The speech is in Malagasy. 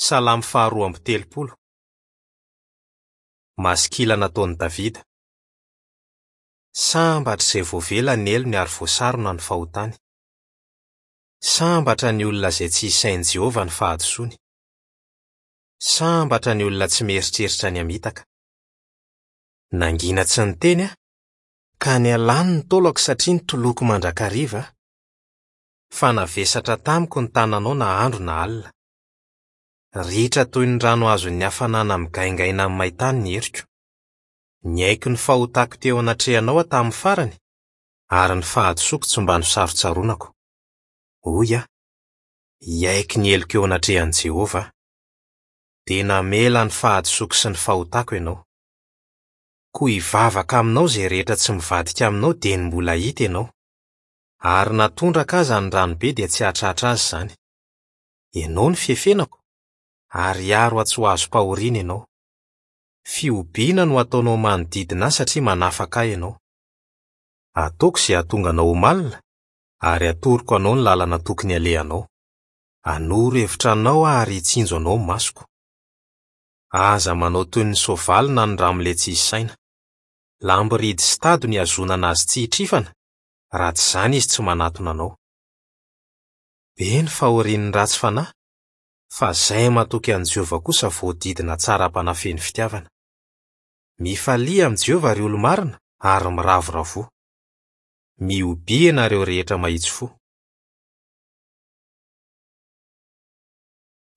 Salamo faharoa amby telopolo. Maskila nataon'i Davida. Sambatra izay voavela ny helony ary voasarona ny fahotany. Sambatra ny olona izay tsy isain'i Jehovah ny fahadisoany. Sambatra ny olona tsy mieritreritra ny hamitaka. Nangina tsy niteny aho, ka nialany ny taolako satria nitoloko mandrakariva aho. Fa navesatra tamiko ny tananao na andro na alina. Ritra toy ny rano azon'ny hafanana migaingaina amin'ny maintany ny heriko. Niaiky ny fahotako teo anatrehanao aho tamin'ny farany, ary ny fahadisoako tsy mba nosarontsaronako. Hoy aho, Hiaiky ny heloko eo anatrehan'i Jehovah aho. Dia namela ny fahadisoako sy ny fahotako ianao. Koa hivavaka aminao izay rehetra tsy mivadika aminao dieny mbola hita ianao. Ary na tondraka aza ny ranobe dia tsy hahatratra azy izany. Ianao no fiefenako, ary hiaro ahy tsy ho azom-pahoriana ianao. Fihobiana no ataonao manodidina ahy satria manafaka ahy ianao. Ataoko izay hahatonga anao ho malina, ary hatoroko anao ny lalana tokony halehanao. Hanoro hevitra anao aho ary hitsinjo anao ny masoko. Aza manao toy ny soavaly na ny ramole tsy hisy saina. Lamboridy sy tady no ihazonana azy tsy hitrifana, raha tsy izany izy tsy manatona anao. Be ny fahorian'ny ratsy fanahy, fa izay matoky an'i Jehovah kosa voadidina tsara am-panahy feno fitiavana. Mifalia amin'i Jehovah, ry olo-marina, ary miravoravoa. Mihobia ianareo rehetra mahitsy fo.